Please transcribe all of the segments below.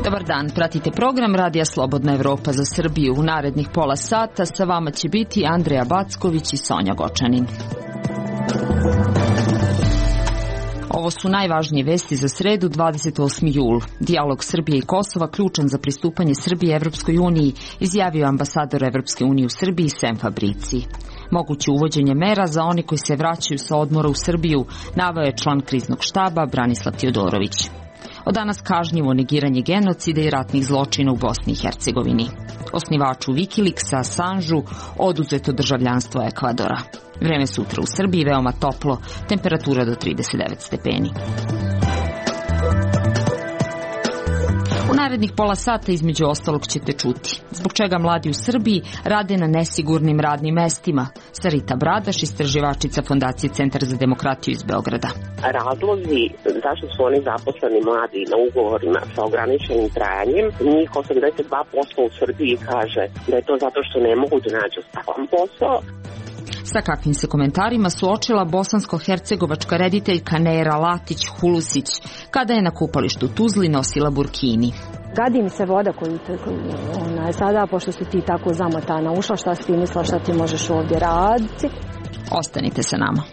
Dobar dan, pratite program Radija Slobodna Evropa za Srbiju. U narednih pola sata sa vama će biti Andreja Backović i Sonja Gočanin. Ovo su najvažnije vesti za sredu, 28. jul. Dijalog Srbije i Kosova ključan za pristupanje Srbije Evropskoj uniji, izjavio ambasador Evropske unije u Srbiji Sem Fabrici. Moguće uvođenje mera za oni koji se vraćaju sa odmora u Srbiju, naveo je član kriznog štaba Branislav Tiodorović. Od danas kažnjivo negiranje genocida i ratnih zločina u Bosni i Hercegovini. Osnivaču Wikileaksa Assangeu oduzeto državljanstvo Ekvadora. Vreme sutra u Srbiji veoma toplo, temperatura do 39 stepeni. U narednih pola sata između ostalog ćete čuti zbog čega mladi u Srbiji rade na nesigurnim radnim mestima. Sarita Bradaš, istraživačica Fondacije Centar za demokratiju iz Beograda. Razlozi zašto su oni zaposleni mladi na ugovorima sa ograničenim trajanjem, njih 82% u Srbiji kaže da je to zato što ne mogu da nađu stalan posao. Sa kakvim se komentarima suočila bosansko-hercegovačka rediteljka Nera Latić-Hulusić kada je na kupalištu u Tuzli nosila burkini. Gadi mi se voda koju sada, pošto si ti tako zamotana ušla, šta si ti mislila šta ti možeš ovdje raditi. Ostanite sa nama.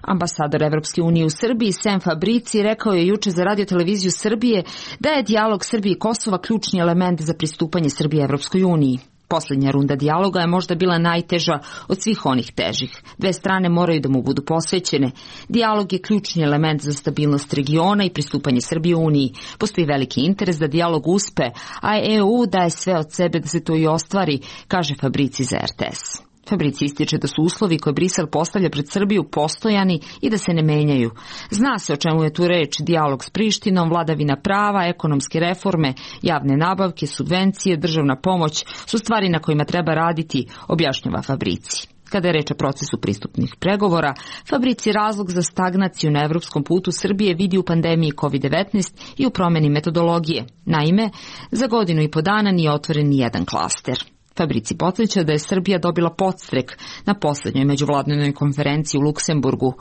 Ambasador Evropske unije u Srbiji Sem Fabrici rekao je juče za Radio-televiziju Srbije da je dijalog Srbije i Kosova ključni element za pristupanje Srbije Evropskoj uniji. Posljednja runda dijaloga je možda bila najteža od svih onih težih. Dve strane moraju da mu budu posvećene. Dijalog je ključni element za stabilnost regiona i pristupanje Srbije uniji. Postoji veliki interes da dijalog uspe, a EU daje sve od sebe da se to i ostvari, kaže Fabrici za RTS. Fabrici ističe da su uslovi koje Brisel postavlja pred Srbiju postojani i da se ne menjaju. Zna se o čemu je tu reč: dijalog s Prištinom, vladavina prava, ekonomske reforme, javne nabavke, subvencije, državna pomoć su stvari na kojima treba raditi, objašnjava Fabrici. Kada je reč o procesu pristupnih pregovora, Fabrici razlog za stagnaciju na evropskom putu Srbije vidi u pandemiji COVID-19 i u promjeni metodologije. Naime, za godinu i po dana nije otvoren ni jedan klaster. Fabrici podsjeća da je Srbija dobila podstrek na posljednjoj međuvladinoj konferenciji u Luksemburgu.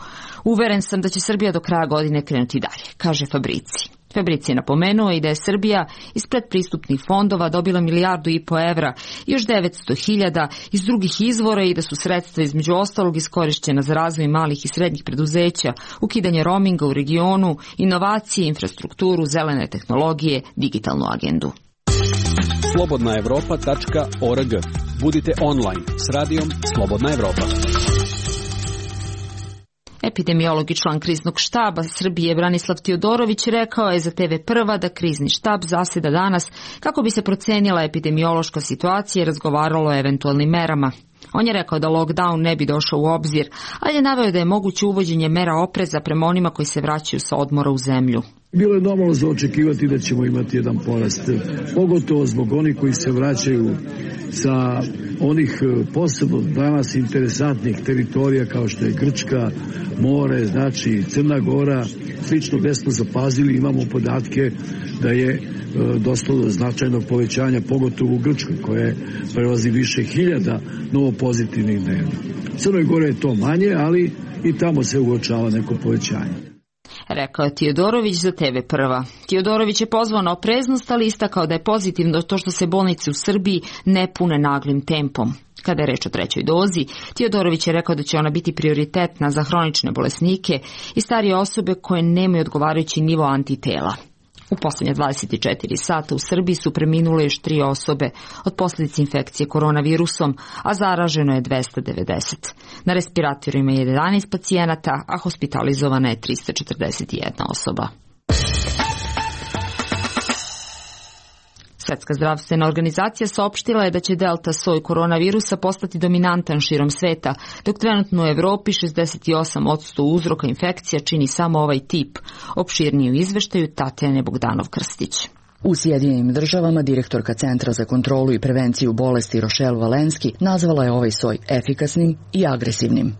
Uveren sam da će Srbija do kraja godine krenuti dalje, kaže Fabrici. Fabrici je napomenuo i da je Srbija iz predpristupnih fondova dobila 1,5 milijardu evra i još 900.000 iz drugih izvora i da su sredstva između ostalog iskorišćena za razvoj malih i srednjih preduzeća, ukidanje roaminga u regionu, inovacije, infrastrukturu, zelene tehnologije, digitalnu agendu. slobodnaevropa.org. Budite online s radijom Slobodna Evropa. Epidemiolog i član kriznog štaba Srbije Branislav Tiodorović rekao je za TV Prva da krizni štab zaseda danas kako bi se procenila epidemiološka situacija i razgovaralo o eventualnim merama. On je rekao da lockdown ne bi došao u obzir, ali je naveo da je moguće uvođenje mera opreza prema onima koji se vraćaju sa odmora u zemlju. Bilo je normalno za očekivati da ćemo imati jedan porast, pogotovo zbog onih koji se vraćaju sa onih posebno danas interesantnih teritorija kao što je Grčka, more, znači Crna Gora, slično gdje smo zapazili, imamo podatke da je dosta do značajnog povećanja, pogotovo u Grčkoj, koje prelazi više hiljada novo pozitivnih dnevno. Crnoj Gore je to manje, ali i tamo se uočava neko povećanje. Rekao je Tiodorović za TV Prva. Tiodorović je pozvao na opreznost, ali istakao da je pozitivno to što se bolnice u Srbiji ne pune naglim tempom. Kada je reč o trećoj dozi, Tiodorović je rekao da će ona biti prioritetna za hronične bolesnike i starije osobe koje nemaju odgovarajući nivo antitela. U posljednje 24 sata u Srbiji su preminule još 3 osobe od posljedice infekcije koronavirusom, a zaraženo je 290. Na respiratorima je 11 pacijenata, a hospitalizovana je 341 osoba. Svjetska zdravstvena organizacija saopštila je da će delta soj koronavirusa postati dominantan širom sveta, dok trenutno u Evropi 68% uzroka infekcija čini samo ovaj tip. Opširnije u izveštaju Tatjane Bogdanov-Krstić. U Sjedinjenim državama direktorka Centra za kontrolu i prevenciju bolesti Rochelle Walensky nazvala je ovaj soj efikasnim i agresivnim.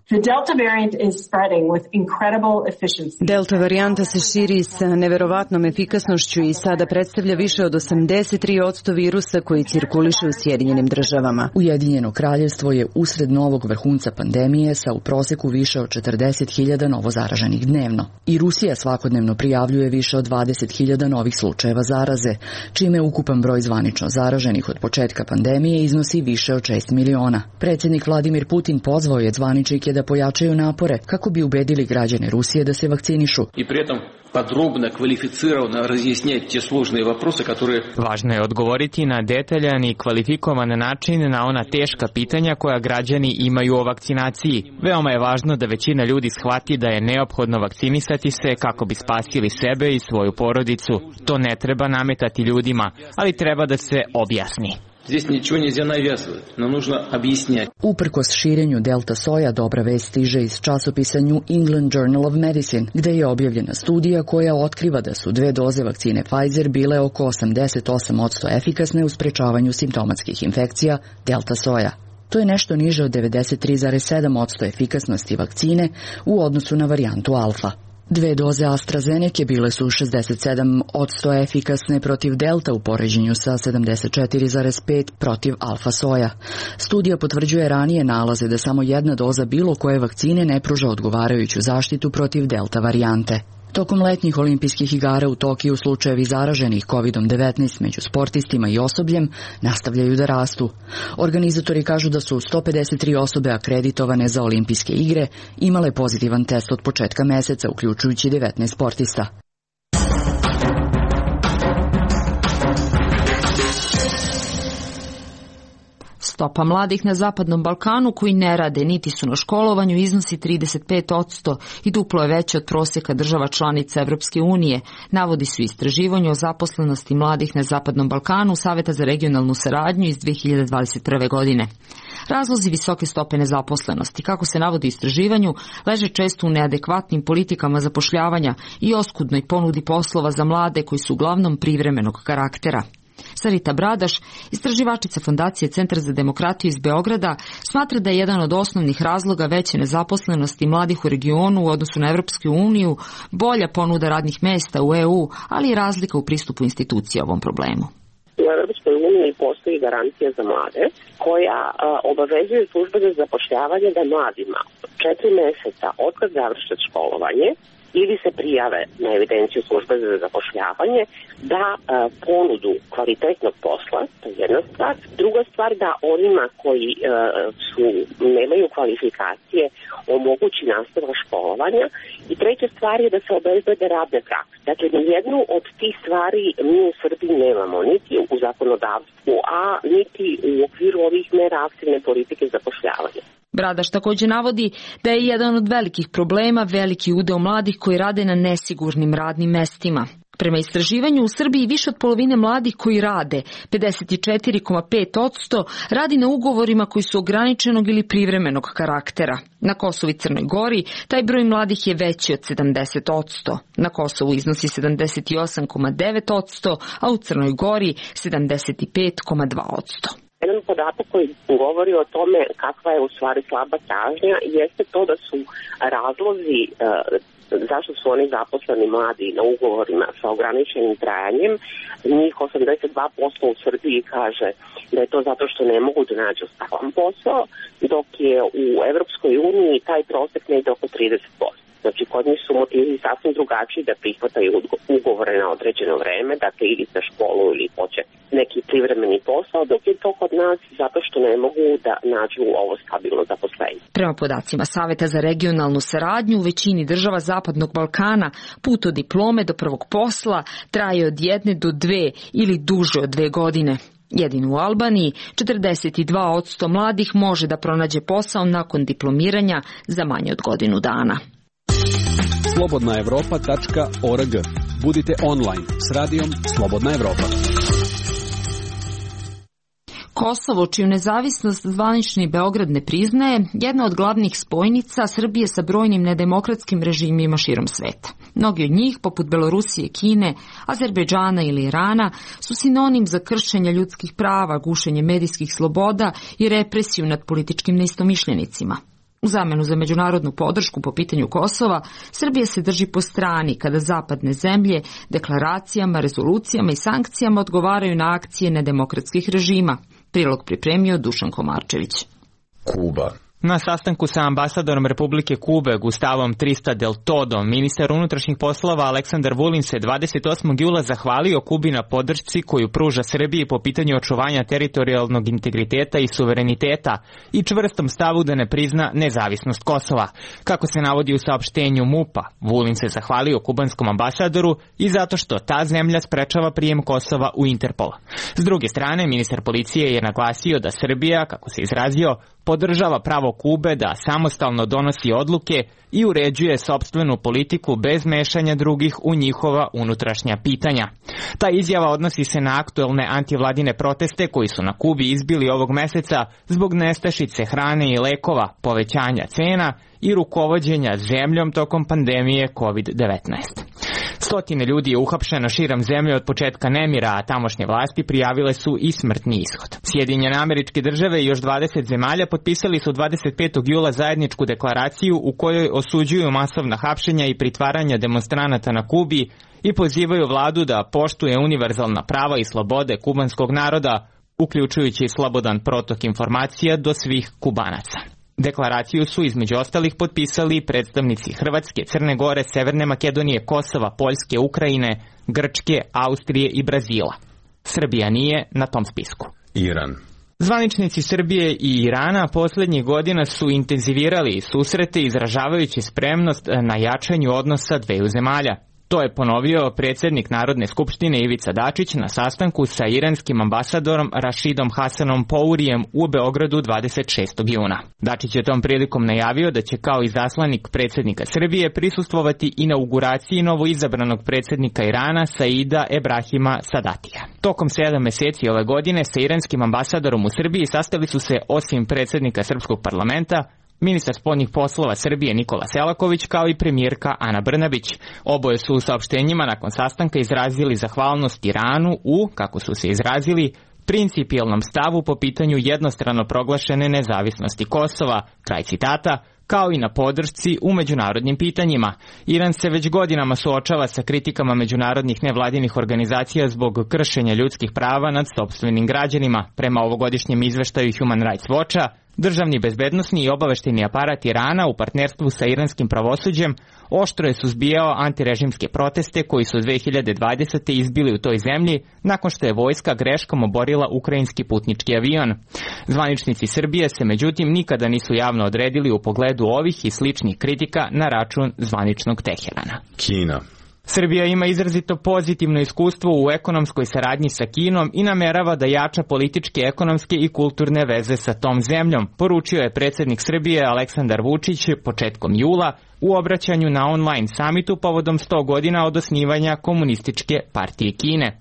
Delta varijanta se širi sa neverovatnom efikasnošću i sada predstavlja više od 83% virusa koji cirkuliše u Sjedinjenim državama. Ujedinjeno kraljevstvo je usred novog vrhunca pandemije sa u proseku više od 40.000 novozaraženih dnevno. I Rusija svakodnevno prijavljuje više od 20.000 novih slučajeva zaraze, čime ukupan broj zvanično zaraženih od početka pandemije iznosi više od 6 miliona. Predsjednik Vladimir Putin pozvao je zvaničnike da pojačaju napore kako bi ubedili građane Rusije da se vakcinišu. I pritom podrobno, kvalificirano razjasniti te složene vопросы, которые... Važno je odgovoriti na detaljan i kvalifikovan način na ona teška pitanja koja građani imaju o vakcinaciji. Veoma je važno da većina ljudi shvati da je neophodno vakcinisati se kako bi spasili sebe i svoju porodicu. To ne treba nametati ljudima, ali treba da se objasni. Здесь ничего нельзя навязывать, но нужно объяснять. Uprkos širenju delta soja, dobra vest stiže iz časopisa New England Journal of Medicine, gde je objavljena studija koja otkriva da su 2 doze vakcine Pfizer bile oko 88% efikasne u sprečavanju simptomatskih infekcija delta soja. To je nešto niže od 93,7% efikasnosti vakcine u odnosu na varijantu alfa. 2 doze AstraZeneca bile su 67% efikasne protiv delta u poređenju sa 74,5% protiv alfa soja. Studija potvrđuje ranije nalaze da samo 1 doza bilo koje vakcine ne pruža odgovarajuću zaštitu protiv delta varijante. Tokom letnjih olimpijskih igara u Tokiju slučajevi zaraženih COVID-19 među sportistima i osobljem nastavljaju da rastu. Organizatori kažu da su 153 osobe akreditovane za olimpijske igre imale pozitivan test od početka meseca, uključujući 19 sportista. Stopa mladih na Zapadnom Balkanu koji ne rade niti su na školovanju iznosi 35% i duplo je veće od prosjeka država članica Evropske unije, navodi su istraživanje o zaposlenosti mladih na Zapadnom Balkanu Saveta za regionalnu saradnju iz 2021. godine. Razlozi visoke stope nezaposlenosti, kako se navodi u istraživanju, leže često u neadekvatnim politikama zapošljavanja i oskudnoj ponudi poslova za mlade koji su uglavnom privremenog karaktera. Sarita Bradaš, istraživačica Fondacije Centar za demokratiju iz Beograda, smatra da je jedan od osnovnih razloga veće nezaposlenosti mladih u regionu u odnosu na Evropsku uniju bolja ponuda radnih mesta u EU, ali i razlika u pristupu institucija ovom problemu. U Evropskoj uniji postoji garancija za mlade koja obavezuje službe za zapošljavanje da mladima 4 meseca otkad završe školovanje ili se prijave na evidenciju službe za zapošljavanje da ponudu kvalitetnog posla, to je jedna stvar. Druga stvar, da onima koji nemaju kvalifikacije omogući nastavak školovanja. I treća stvar je da se obezbede radne prakse. Dakle, nijednu od tih stvari mi u Srbiji nemamo, niti u zakonodavstvu, a niti u okviru ovih mera aktivne politike zapošljavanja. Bradaš također navodi da je jedan od velikih problema veliki udeo mladih koji rade na nesigurnim radnim mestima. Prema istraživanju u Srbiji više od polovine mladih koji rade, 54,5%, radi na ugovorima koji su ograničenog ili privremenog karaktera. Na Kosovu i Crnoj Gori taj broj mladih je veći od 70%. Na Kosovu iznosi 78,9%, a u Crnoj Gori 75,2%. Jedan podatak koji govori o tome kakva je u stvari slaba tražnja jeste to da su razlozi zašto su oni zaposleni mladi na ugovorima sa ograničenim trajanjem, njih 82% u Srbiji kaže da je to zato što ne mogu da nađu stalan posao, dok je u Evropskoj uniji taj prosek negde oko 30%. Znači, kod njih su motivi sasvim drugačiji da prihvataju ugovore na određeno vreme, dakle ili za školu ili hoće neki privremeni posao, dok je to kod nas zato što ne mogu da nađu ovo stabilno zaposlenje. Prema podacima Saveta za regionalnu saradnju, u većini država Zapadnog Balkana put od diplome do prvog posla traje od 1 do 2 ili duže od 2 godine. Jedino u Albaniji 42% mladih može da pronađe posao nakon diplomiranja za manje od godinu dana. Slobodnaevropa.org. Budite online s radijom Slobodna Evropa. Kosovo, čiju nezavisnost zvanični Beograd ne priznaje, jedna od glavnih spojnica Srbije sa brojnim nedemokratskim režimima širom sveta. Mnogi od njih, poput Belorusije, Kine, Azerbejdžana ili Irana, su sinonim za kršenje ljudskih prava, gušenje medijskih sloboda i represiju nad političkim neistomišljenicima. U zamenu za međunarodnu podršku po pitanju Kosova, Srbija se drži po strani kada zapadne zemlje deklaracijama, rezolucijama i sankcijama odgovaraju na akcije nedemokratskih režima. Prilog pripremio Dušan Komarčević. Kuba. Na sastanku sa ambasadorom Republike Kube Gustavom Trista del Todom, ministar unutrašnjih poslova Aleksandar Vulin se 28. jula zahvalio Kubi na podršci koju pruža Srbiji po pitanju očuvanja teritorijalnog integriteta i suvereniteta i čvrstom stavu da ne prizna nezavisnost Kosova. Kako se navodi u saopštenju MUP-a, Vulin se zahvalio kubanskom ambasadoru i zato što ta zemlja sprečava prijem Kosova u Interpol. S druge strane, ministar policije je naglasio da Srbija, kako se izrazio, podržava pravo Kube da samostalno donosi odluke i uređuje sopstvenu politiku bez mešanja drugih u njihova unutrašnja pitanja. Ta izjava odnosi se na aktuelne antivladine proteste koji su na Kubi izbili ovog meseca zbog nestašice hrane i lekova, povećanja cena i rukovođenja zemljom tokom pandemije COVID-19. Stotine ljudi je uhapšeno širom zemlje od početka nemira, a tamošnje vlasti prijavile su i smrtni ishod. Sjedinjene Američke Države i još 20 zemalja potpisali su 25. jula zajedničku deklaraciju u kojoj osuđuju masovna hapšenja i pritvaranja demonstranata na Kubi i pozivaju vladu da poštuje univerzalna prava i slobode kubanskog naroda, uključujući i slobodan protok informacija do svih Kubanaca. Deklaraciju su između ostalih potpisali predstavnici Hrvatske, Crne Gore, Severne Makedonije, Kosova, Poljske, Ukrajine, Grčke, Austrije i Brazila. Srbija nije na tom spisku. Iran. Zvaničnici Srbije i Irana posljednjih godina su intenzivirali susrete izražavajući spremnost na jačanju odnosa dveju zemalja. To je ponovio predsjednik Narodne skupštine Ivica Dačić na sastanku sa iranskim ambasadorom Rašidom Hasanom Pourijem u Beogradu 26. juna. Dačić je tom prilikom najavio da će kao izaslanik predsjednika Srbije prisustvovati inauguraciji novoizabranog predsjednika Irana Saida Ebrahima Sadatija. Tokom 7 mjeseci ove godine sa iranskim ambasadorom u Srbiji sastali su se osim predsjednika Srpskog parlamenta, ministar spoljnih poslova Srbije Nikola Selaković kao i premijerka Ana Brnabić. Oboje su u saopštenjima nakon sastanka izrazili zahvalnost Iranu u, kako su se izrazili, principijelnom stavu po pitanju jednostrano proglašene nezavisnosti Kosova, kraj citata, kao i na podršci u međunarodnim pitanjima. Iran se već godinama suočava sa kritikama međunarodnih nevladinih organizacija zbog kršenja ljudskih prava nad sopstvenim građanima. Prema ovogodišnjem izveštaju Human Rights Watcha, državni bezbednosni i obaveštajni aparat Irana u partnerstvu sa iranskim pravosuđem oštro je suzbijao antirežimske proteste koji su 2020. izbili u toj zemlji nakon što je vojska greškom oborila ukrajinski putnički avion. Zvaničnici Srbije se međutim nikada nisu javno odredili u pogledu ovih i sličnih kritika na račun zvaničnog Teherana. Kina. Srbija ima izrazito pozitivno iskustvo u ekonomskoj saradnji sa Kinom i namerava da jača političke, ekonomske i kulturne veze sa tom zemljom, poručio je predsjednik Srbije Aleksandar Vučić početkom jula u obraćanju na online samitu povodom 100 godina od osnivanja Komunističke partije Kine.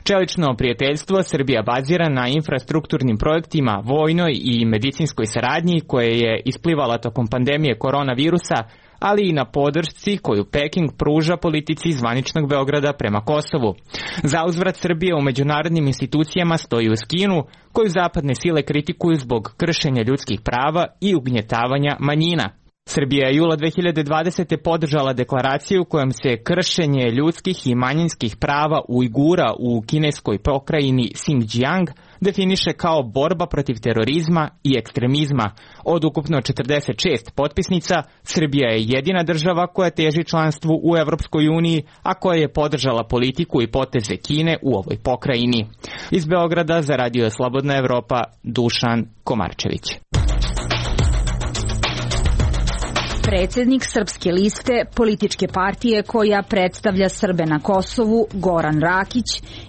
Čelično prijateljstvo Srbija bazira na infrastrukturnim projektima, vojnoj i medicinskoj saradnji koje je isplivala tokom pandemije koronavirusa, ali i na podršci koju Peking pruža politici zvaničnog Beograda prema Kosovu. Zauzvrat Srbije u međunarodnim institucijama stoji uz Kinu, koju zapadne sile kritikuju zbog kršenja ljudskih prava i ugnjetavanja manjina. Srbija je jula 2020. podržala deklaraciju kojom se kršenje ljudskih i manjinskih prava Ujgura u kineskoj pokrajini Xinjiang definiše kao borba protiv terorizma i ekstremizma. Od ukupno 46 potpisnica, Srbija je jedina država koja teži članstvu u Evropskoj uniji, a koja je podržala politiku i poteze Kine u ovoj pokrajini. Iz Beograda za Radio Slobodna Evropa, Dušan Komarčević. Predsjednik Srpske liste, političke partije koja predstavlja Srbe na Kosovu, Goran Rakić,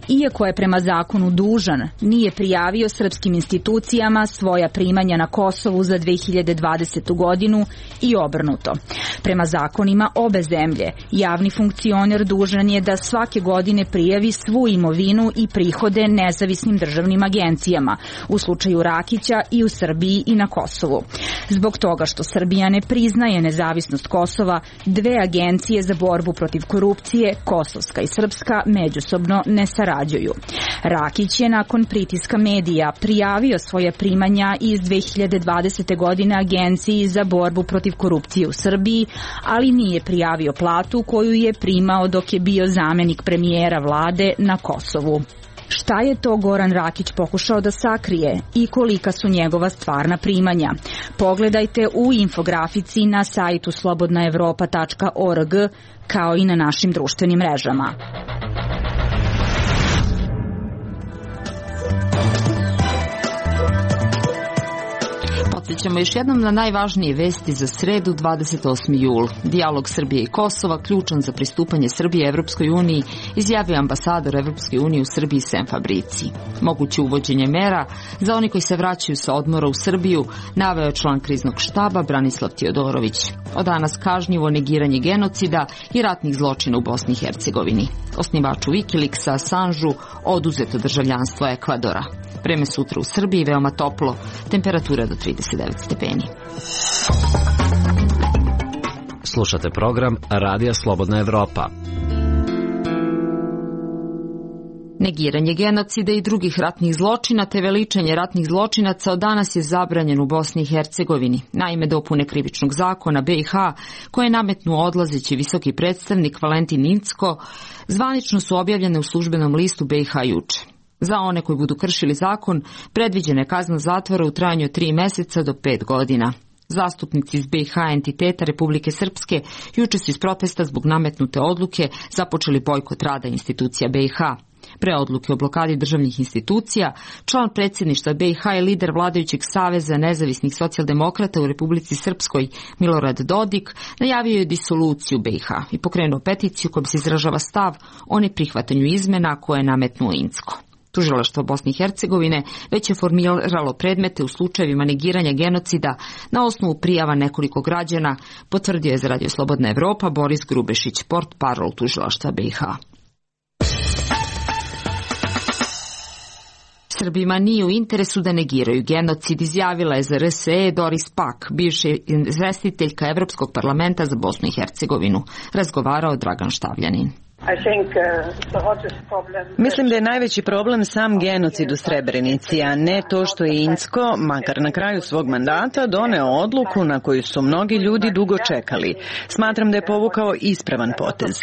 iako je prema zakonu dužan, nije prijavio srpskim institucijama svoja primanja na Kosovu za 2020. godinu i obrnuto. Prema zakonima obe zemlje, javni funkcioner dužan je da svake godine prijavi svu imovinu i prihode nezavisnim državnim agencijama, u slučaju Rakića i u Srbiji i na Kosovu. Zbog toga što Srbija ne priznaje nezavisnost Kosova, dve agencije za borbu protiv korupcije, kosovska i srpska, međusobno ne sarađuju. Rakić je nakon pritiska medija prijavio svoje primanja iz 2020. godine Agenciji za borbu protiv korupcije u Srbiji, ali nije prijavio platu koju je primao dok je bio zamenik premijera vlade na Kosovu. Šta je to Goran Rakić pokušao da sakrije i kolika su njegova stvarna primanja? Pogledajte u infografici na sajtu slobodnaevropa.org kao i na našim društvenim mrežama. Podsjećamo još jednom na najvažnije vesti za sredu 28. jul. Dijalog Srbije i Kosova, ključan za pristupanje Srbije Evropskoj uniji, izjavio ambasador Evropske unije u Srbiji Sem Fabrici. Moguće uvođenje mera za oni koji se vraćaju sa odmora u Srbiju naveo je član kriznog štaba Branislav Teodorović. Od danas kažnjivo negiranje genocida i ratnih zločina u Bosni i Hercegovini. Osnivaču Wikileaksa Assangeu oduzeto državljanstvo Ekvadora. Vreme sutra u Srbiji veoma toplo, temperatura do 39 stepeni. Slušate program Radija Slobodna Evropa. Negiranje genocida i drugih ratnih zločina te veličanje ratnih zločinaca od danas je zabranjen u Bosni i Hercegovini. Naime, dopune krivičnog zakona BiH, koje je nametnuo odlazeći visoki predstavnik Valentin Incko, zvanično su objavljene u službenom listu BiH juče. Za one koji budu kršili zakon, predviđena je kazna zatvora u trajanju 3 meseca do 5 godina. Zastupnici iz BiH entiteta Republike Srpske juče su iz protesta zbog nametnute odluke započeli bojkot rada institucija BiH. Pre odluke o blokadi državnih institucija, član predsjedništva BiH i lider vladajućeg Saveza nezavisnih socijaldemokrata u Republici Srpskoj Milorad Dodik najavio je disoluciju BiH i pokrenuo peticiju kojom se izražava stav o neprihvatanju izmena koje je nametnuo Incko. Tužilaštvo Bosne i Hercegovine već je formiralo predmete u slučajevima negiranja genocida na osnovu prijava nekoliko građana, potvrdio je za Radio Slobodna Evropa Boris Grubešić, portparol tužilaštva BiH. Srbima nije u interesu da negiraju genocid, izjavila je za RSE Doris Pak, bivša izvestiteljka Evropskog parlamenta za Bosnu i Hercegovinu. Razgovarao Dragan Štavljanin. Mislim da je najveći problem sam genocid u Srebrenici, a ne to što je Incko, makar na kraju svog mandata, doneo odluku na koju su mnogi ljudi dugo čekali. Smatram da je povukao ispravan potez.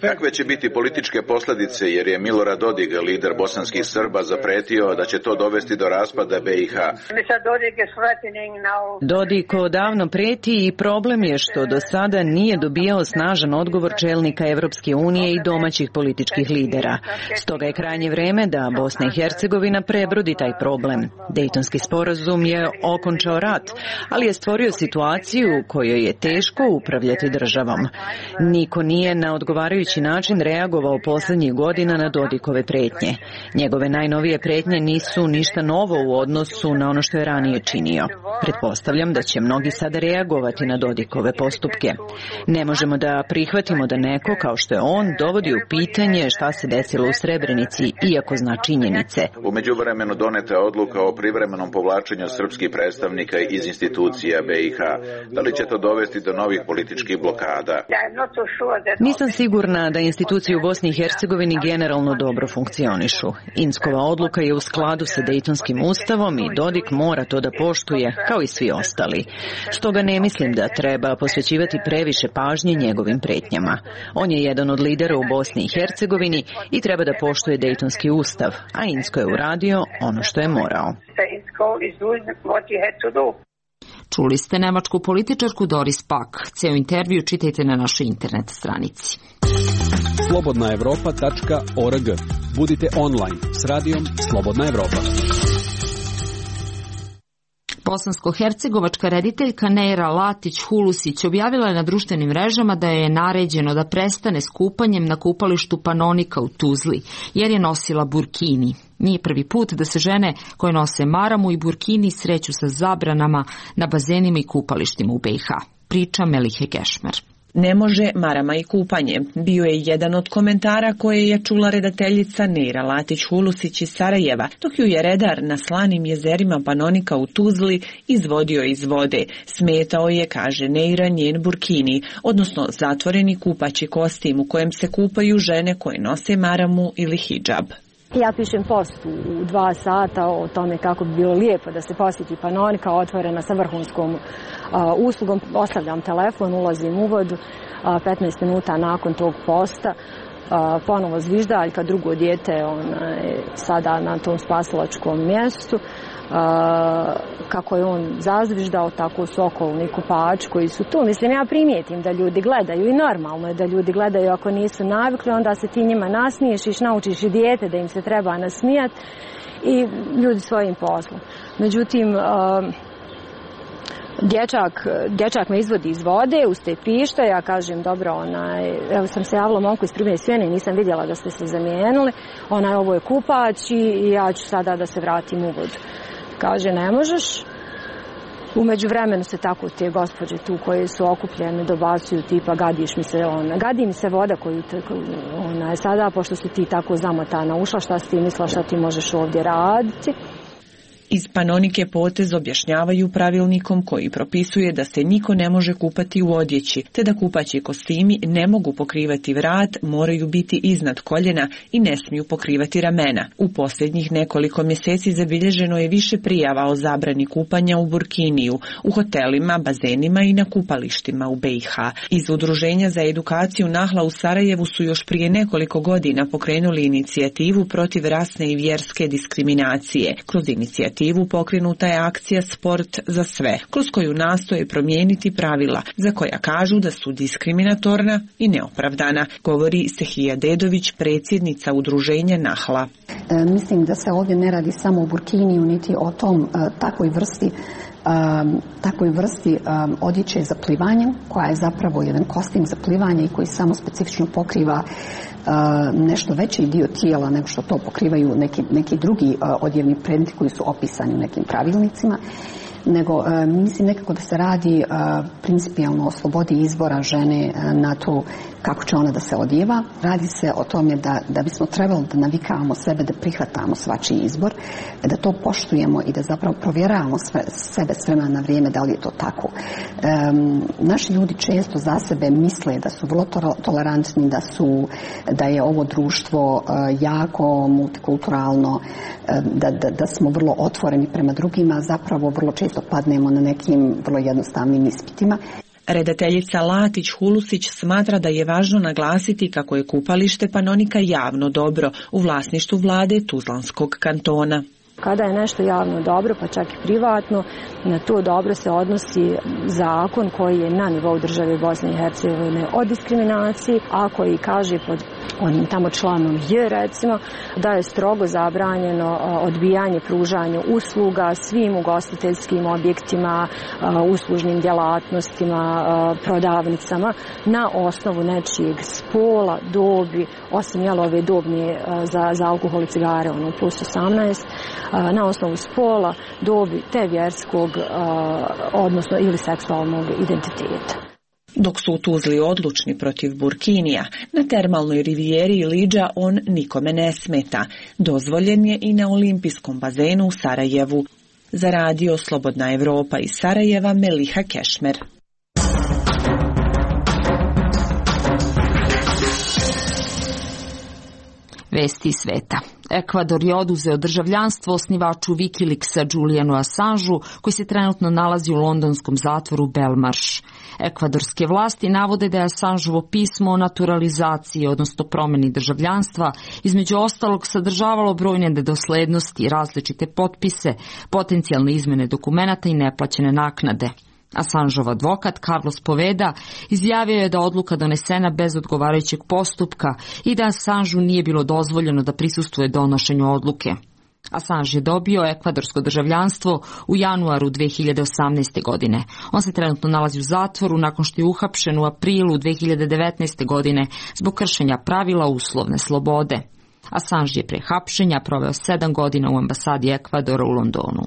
Kakve će biti političke posljedice, jer je Milorad Dodik, lider bosanskih Srba, zapretio da će to dovesti do raspada BiH? Dodik odavno preti i problem je što do sada nije dobijao snažan odgovor čelnika Evropske unije i domaćih političkih lidera. Stoga je krajnje vreme da Bosna i Hercegovina prebrodi taj problem. Dejtonski sporazum je okončao rat, ali je stvorio situaciju u kojoj je teško upravljati državom. Niko nije na odgovarajući način reagovao posljednjih godina na Dodikove pretnje. Njegove najnovije pretnje nisu ništa novo u odnosu na ono što je ranije činio. Pretpostavljam da će mnogi sada reagovati na Dodikove postupke. Ne možemo da prihvatimo da neko, kao što je on, dovodi u pitanje šta se desilo u Srebrenici, iako zna činjenice. U međuvremenu doneta je odluka o privremenom povlačenju srpskih predstavnika iz institucija BiH. Da li će to dovesti do novih političkih blokada? Nisam sigurna da institucije u Bosni i Hercegovini generalno dobro funkcionišu. Inckova odluka je u skladu sa Dejtonskim ustavom i Dodik mora to da poštuje, kao i svi ostali. Stoga ne mislim da treba posvećivati previše pažnje njegovim pretnjama. On je jedan od lidera u Bosni i Hercegovini i treba da poštuje Dejtonski ustav, a Incko je uradio ono što je morao. Čuli ste nemačku političarku Doris Pak. Ceo intervju čitajte na našoj internet stranici. slobodnaevropa.org. Budite online s radijom Slobodna Evropa. Bosansko-hercegovačka rediteljka Neira Latić-Hulusić objavila je na društvenim mrežama da je naređeno da prestane s kupanjem na kupalištu Panonika u Tuzli, jer je nosila burkini. Nije prvi put da se žene koje nose maramu i burkini sreću sa zabranama na bazenima i kupalištima u BiH. Priča Melihe Gešmer. Ne može marama i kupanje. Bio je jedan od komentara koje je čula redateljica Neira Latić-Hulusić iz Sarajeva, dok ju je redar na slanim jezerima Panonika u Tuzli izvodio iz vode. Smetao je, kaže Neira, njen burkini, odnosno zatvoreni kupaći kostim u kojem se kupaju žene koje nose maramu ili hidžab. Ja pišem post u 2 sata o tome kako bi bilo lijepo da se posjeti Panonika, otvorena sa vrhunskom uslugom. Ostavljam telefon, ulazim u vodu, 15 minuta nakon tog posta ponovo zviždaljka, drugo dijete sada na tom spasilačkom mjestu. Kako je on zazviždao, tako su okolni kupači koji su tu. Mislim, ja primijetim da ljudi gledaju i normalno je da ljudi gledaju. Ako nisu navikli, onda se ti njima nasmiješiš, naučiš i dijete da im se treba nasmijati i ljudi svojim poslom. Međutim, dječak me izvodi iz vode, uz te pište, ja kažem dobro, evo sam se javila momku iz Privne Svijene i nisam vidjela da ste se zamijenili, ovo je kupač i ja ću sada da se vratim u vodu. Kaže, ne možeš. U međuvremenu se tako te gospođe tu koje su okupljene dobacuju tipa gadi mi se voda koju sada, pošto si ti tako zamotana ušla, šta si ti mislila, šta ti možeš ovdje raditi. Iz Panonike potez objašnjavaju pravilnikom koji propisuje da se niko ne može kupati u odjeći, te da kupaći kostimi ne mogu pokrivati vrat, moraju biti iznad koljena i ne smiju pokrivati ramena. U posljednjih nekoliko mjeseci zabilježeno je više prijava o zabrani kupanja u burkiniju, u hotelima, bazenima i na kupalištima u BiH. Iz Udruženja za edukaciju Nahla u Sarajevu su još prije nekoliko godina pokrenuli inicijativu protiv rasne i vjerske diskriminacije. Kroz inicijativu pokrenuta je akcija Sport za sve, kroz koju nastoje promijeniti pravila, za koja kažu da su diskriminatorna i neopravdana, govori Sehija Dedović, predsjednica Udruženja Nahla. Mislim da se ovdje ne radi samo o burkiniju, niti o tom takvoj vrsti odjeće za plivanje, koja je zapravo jedan kostim za plivanje i koji samo specifično pokriva nešto veći dio tijela nego što to pokrivaju neki drugi odjevni predmeti koji su opisani u nekim pravilnicima, nego mislim nekako da se radi principijalno o slobodi izbora žene na to kako će ona da se odjeva. Radi se o tome da bismo trebali da navikavamo sebe, da prihvatamo svačiji izbor, da to poštujemo i da zapravo provjeravamo sebe s vremena na vrijeme da li je to tako. Naši ljudi često za sebe misle da su vrlo tolerantni, da je ovo društvo jako multikulturalno, da smo vrlo otvoreni prema drugima, zapravo vrlo često padnemo na nekim vrlo jednostavnim ispitima. Redateljica Latić-Hulusić smatra da je važno naglasiti kako je kupalište Panonika javno dobro u vlasništvu vlade Tuzlanskog kantona. Kada je nešto javno dobro, pa čak i privatno, na to dobro se odnosi zakon koji je na nivou države Bosne i Hercegovine o diskriminaciji, a koji kaže pod onim tamo članom J, recimo, da je strogo zabranjeno odbijanje pružanja usluga svim ugostiteljskim objektima, uslužnim djelatnostima, prodavnicama na osnovu nečijeg spola, dobi, osim ove dobne za alkohol i cigare, plus 18, na osnovu spola, dobi te vjerskog, odnosno ili seksualnog identiteta. Dok su u Tuzli odlučni protiv burkinija, na termalnoj rivijeri Liđa on nikome ne smeta. Dozvoljen je i na olimpijskom bazenu u Sarajevu. Za radio Slobodna Evropa iz Sarajeva, Meliha Kešmer. Vesti sveta. Ekvador je oduzeo državljanstvo osnivaču Wikileaksa Julianu Assangeu, koji se trenutno nalazi u londonskom zatvoru Belmarsh. Ekvadorske vlasti navode da je Assangeovo pismo o naturalizaciji, odnosno promjeni državljanstva, između ostalog sadržavalo brojne nedoslednosti, različite potpise, potencijalne izmjene dokumenata i neplaćene naknade. Assangeov advokat Carlos Poveda izjavio je da odluka donesena bez odgovarajućeg postupka i da Assangeu nije bilo dozvoljeno da prisustvuje donošenju odluke. Assange je dobio ekvadorsko državljanstvo u januaru 2018. godine. On se trenutno nalazi u zatvoru nakon što je uhapšen u aprilu 2019. godine zbog kršenja pravila uslovne slobode. Assange je pre hapšenja proveo 7 godina u ambasadi Ekvadora u Londonu.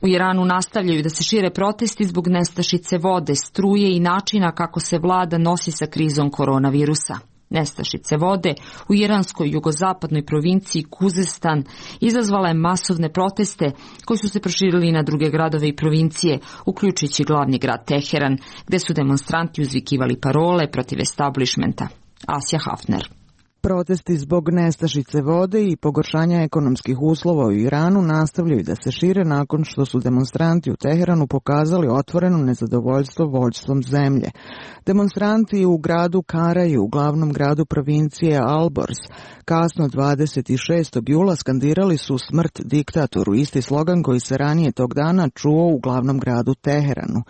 U Iranu nastavljaju da se šire protesti zbog nestašice vode, struje i načina kako se vlada nosi sa krizom koronavirusa. Nestašice vode u iranskoj jugozapadnoj provinciji Kuzestan izazvala je masovne proteste koji su se proširili na druge gradove i provincije, uključujući glavni grad Teheran, gde su demonstranti uzvikivali parole protiv establishmenta. Asja Hafner. Protesti zbog nestašice vode i pogoršanja ekonomskih uslova u Iranu nastavljaju da se šire nakon što su demonstranti u Teheranu pokazali otvoreno nezadovoljstvo vođstvom zemlje. Demonstranti u gradu Karaju, u glavnom gradu provincije Alborz, kasno 26. jula skandirali su smrt diktatoru, isti slogan koji se ranije tog dana čuo u glavnom gradu Teheranu.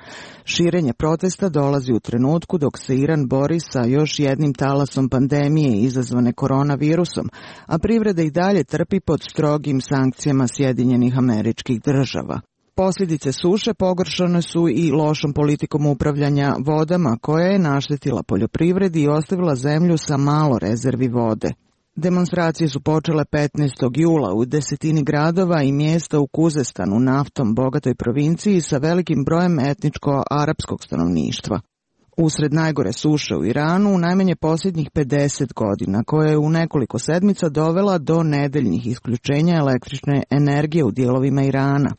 Širenje protesta dolazi u trenutku dok se Iran bori sa još jednim talasom pandemije izazvane koronavirusom, a privreda i dalje trpi pod strogim sankcijama Sjedinjenih Američkih Država. Posljedice suše pogoršane su i lošom politikom upravljanja vodama koja je naštetila poljoprivredi i ostavila zemlju sa malo rezervi vode. Demonstracije su počele 15. jula u desetini gradova i mjesta u Kuzestanu, naftom bogatoj provinciji sa velikim brojem etničko-arapskog stanovništva. Usred najgore suše u Iranu, najmanje posljednjih 50 godina, koja je u nekoliko sedmica dovela do nedeljnih isključenja električne energije u dijelovima Irana.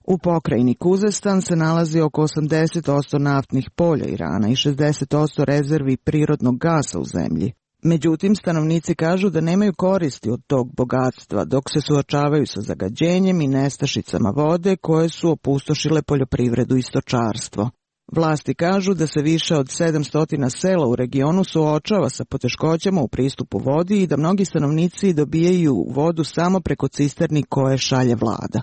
U pokrajini Kuzestan se nalazi oko 80% naftnih polja Irana i 60% rezervi prirodnog gasa u zemlji. Međutim, stanovnici kažu da nemaju koristi od tog bogatstva, dok se suočavaju sa zagađenjem i nestašicama vode koje su opustošile poljoprivredu i stočarstvo. Vlasti kažu da se više od 700 sela u regionu suočava sa poteškoćama u pristupu vodi i da mnogi stanovnici dobijaju vodu samo preko cisterni koje šalje vlada.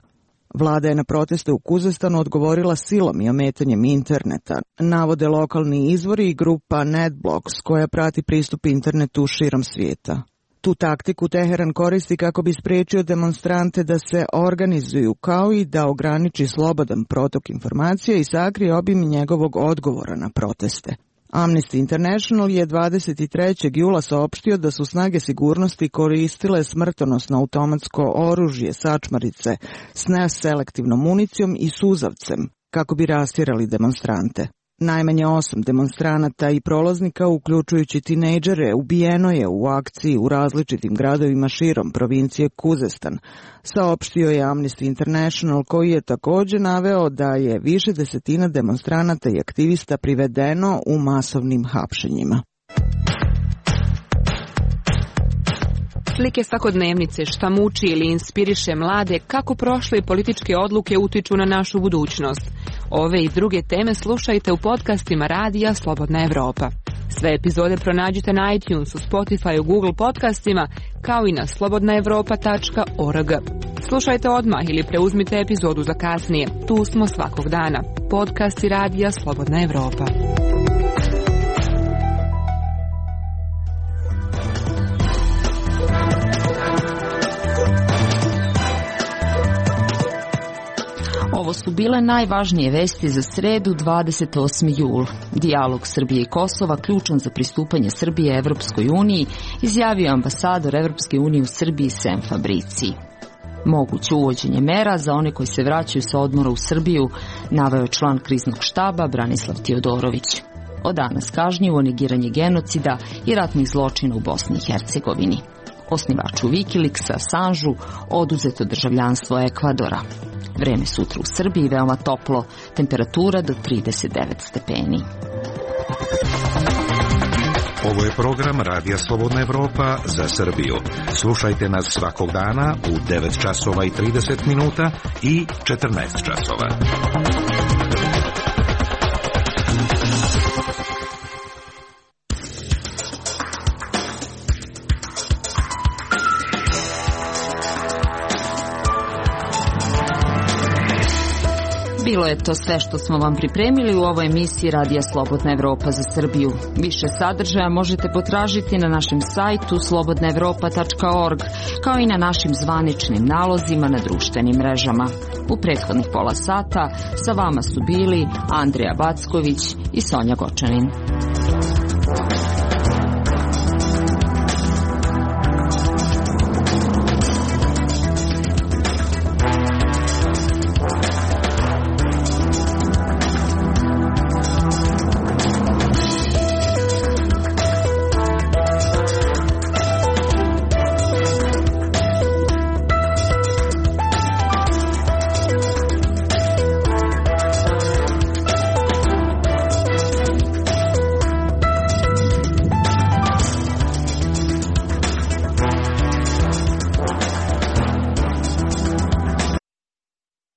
Vlada je na proteste u Kuzestanu odgovorila silom i ometanjem interneta, navode lokalni izvori i grupa NetBlocks koja prati pristup internetu širom svijeta. Tu taktiku Teheran koristi kako bi spriječio demonstrante da se organizuju, kao i da ograniči slobodan protok informacija i sakrije obim njegovog odgovora na proteste. Amnesty International je 23. jula saopštio da su snage sigurnosti koristile smrtonosno automatsko oružje, sačmarice s neselektivnom municijom i suzavcem kako bi rastjerali demonstrante. Najmanje 8 demonstranata i prolaznika, uključujući tinejdžere, ubijeno je u akciji u različitim gradovima širom provincije Kuzestan, saopštio je Amnesty International, koji je također naveo da je više desetina demonstranata i aktivista privedeno u masovnim hapšenjima. Slike svakodnevnice, šta muči ili inspiriše mlade, kako prošle političke odluke utiču na našu budućnost. Ove i druge teme slušajte u podcastima Radija Slobodna Evropa. Sve epizode pronađite na iTunesu, Spotify, Google podcastima, kao i na slobodnaevropa.org. Slušajte odmah ili preuzmite epizodu za kasnije. Tu smo svakog dana. Podcasti Radija Slobodna Evropa. Ovo su bile najvažnije vesti za sredu 28. jul. Dijalog Srbije i Kosova ključan za pristupanje Srbije Evropskoj uniji, izjavio ambasador Evropske unije u Srbiji Sem Fabrici. Moguće uvođenje mera za one koji se vraćaju sa odmora u Srbiju, naveo je član kriznog štaba Branislav Tiodorović. Od danas kažnjivo negiranje genocida i ratnih zločina u Bosni i Hercegovini. Osnivaču Wikileaksa Assangeu oduzeto državljanstvo Ekvadora. Vreme sutra u Srbiji veoma toplo, temperatura do 39 stepeni. Ovo je program Radija Slobodna Evropa za Srbiju. Slušajte nas svakog dana u 9 časova i 30 minuta i 14 časova. Bilo je to sve što smo vam pripremili u ovoj emisiji Radija Slobodna Evropa za Srbiju. Više sadržaja možete potražiti na našem sajtu slobodnaevropa.org, kao i na našim zvaničnim nalozima na društvenim mrežama. U prethodnih pola sata sa vama su bili Andrija Backović i Sonja Gočanin.